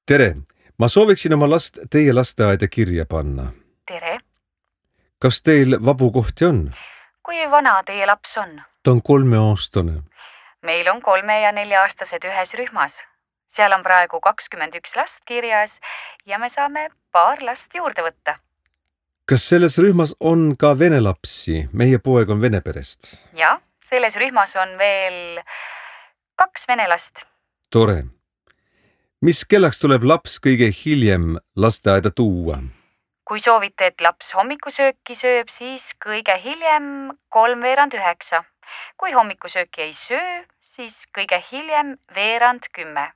Tere! Ma sooviksin oma last teie lasteaeda kirja panna. Tere! Kas teil vabu kohti on? Kui vana teie laps on? Ta on 3-aastane. Meil on 3- ja 4-aastased ühes rühmas. Seal on praegu 21 last kirjas ja me saame paar last juurde võtta. Kas selles rühmas on ka vene lapsi? Meie poeg on vene perest. Ja, selles rühmas on veel 2 vene last. Tore. Mis kellaks tuleb laps kõige hiljem lasteaeda tuua? Kui soovite, et laps hommikusööki sööb, siis kõige hiljem 8:45. Kui hommikusööki ei söö, siis kõige hiljem 9:45,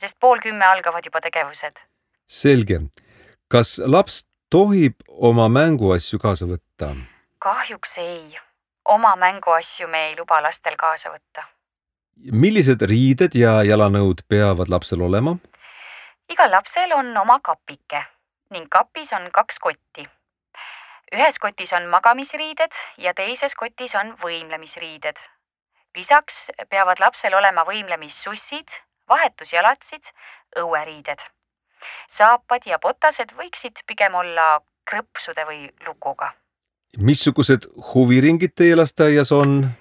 sest 9:30 algavad juba tegevused. Selge. Kas laps tohib oma mänguasju kaasa võtta? Kahjuks ei. Oma mänguasju me ei luba lastel kaasa võtta. Millised riided ja jalanõud peavad lapsel olema? Igal lapsel on oma kapike ning kapis on 2 kotti. Ühes kotis on magamisriided ja teises kotis on võimlemisriided. Lisaks peavad lapsel olema võimlemissussid, vahetusjalatsid, õueriided. Saapad ja botased võiksid pigem olla krõpsude või lukuga. Missugused huviringid teie lasteaias on?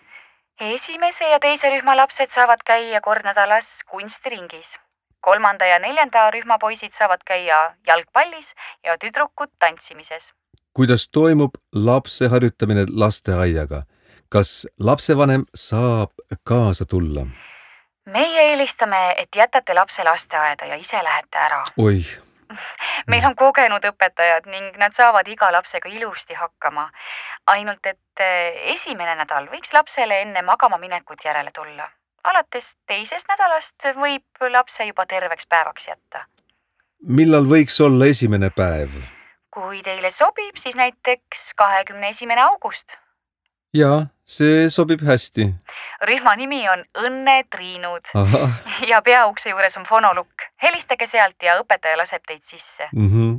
Esimese ja teise rühma lapsed saavad käia kord nädalas kunstiringis. 3. ja 4. rühma poisid saavad käia jalgpallis ja tüdrukud tantsimises. Kuidas toimub lapse harjutamine lasteaiaga? Kas lapsevanem saab kaasa tulla? Meie eelistame, et jätate lapse lasteaeda ja ise lähete ära. Oi. Meil on kogenud õpetajad ning nad saavad iga lapsega ilusti hakkama. Ainult, et esimene nädal võiks lapsele enne magama minekut järele tulla. Alates teisest nädalast võib lapse juba terveks päevaks jätta. Millal võiks olla esimene päev? Kui teile sobib, siis näiteks 21. august. Jaa, see sobib hästi. Rühma nimi on Õnnetriinud. Aha. Ja peaukse juures on fonolukk. Helistage sealt ja õpetaja laseb teid sisse.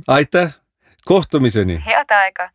Aitäh! Kohtumiseni! Head aega!